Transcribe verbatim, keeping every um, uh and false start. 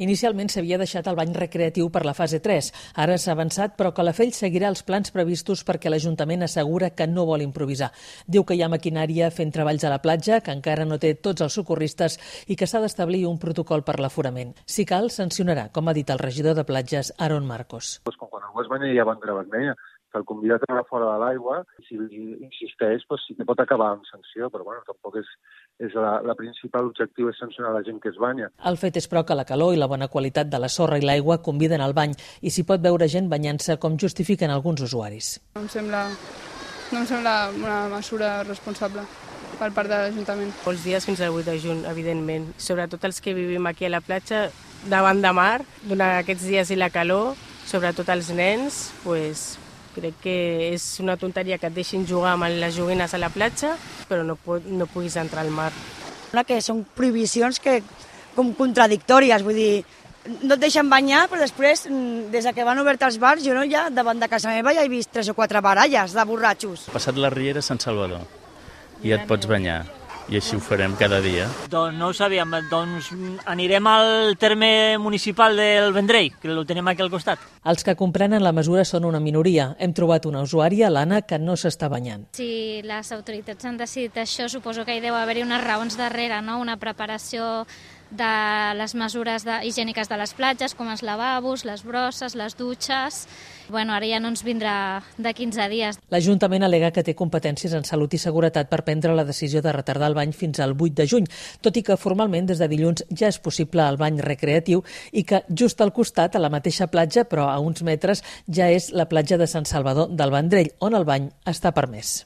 Inicialment s'havia deixat el bany recreatiu per la fase tres. Ara s'ha avançat, però Calafell seguirà els plans previstos perquè l'Ajuntament assegura que no vol improvisar. Diu que hi ha maquinària fent treballs a la platja, que encara no té tots els socorristes i que s'ha d'establir un protocol per l'aforament. Si cal, sancionarà, com ha dit el regidor de platges, Aaron Marcos. Pues com quan algú es banya hi ha bandera vermella, se'l convida a treure fora de l'aigua i si insisteix pues, sí que pot acabar amb sanció, però bueno, tampoc és, és la, la principal objectiu és sancionar la gent que es banya. El fet és, però, que la calor i la bona qualitat de la sorra i l'aigua conviden al bany i s'hi pot veure gent banyant-se com justifiquen alguns usuaris. No em sembla, no em sembla una mesura responsable per part de l'Ajuntament. Molts dies fins al vuit de juny, evidentment. Sobretot els que vivim aquí a la platja, davant de mar, durant aquests dies i la calor, sobretot els nens, pues, crec que és una tonteria que et deixin jugar amb les joguines a la platja, però no, pot, no puguis entrar al mar. Que són prohibicions que, com contradictòries, vull dir, no et deixen banyar, però després, des que van obert els bars, jo no ja, davant de casa meva ja he vist tres o quatre baralles de borratxos. Passat la Riera a Sant Salvador i et pots banyar. I així ho farem cada dia. Doncs no ho sabíem, doncs anirem al terme municipal del Vendrell, que el tenim aquí al costat. Els que comprenen la mesura són una minoria. Hem trobat una usuària, l'Anna, que no s'està banyant. Si les autoritats han decidit això, suposo que hi deu haver-hi unes raons darrere, no? Una preparació de les mesures de, higièniques de les platges, com els lavabos, les brosses, les dutxes. Bueno, ara ja no ens vindrà de quinze dies. L'Ajuntament al·lega que té competències en salut i seguretat per prendre la decisió de retardar el bany fins al vuit de juny, tot i que formalment des de dilluns ja és possible el bany recreatiu i que just al costat, a la mateixa platja, però a uns metres, ja és la platja de Sant Salvador del Vendrell, on el bany està permès.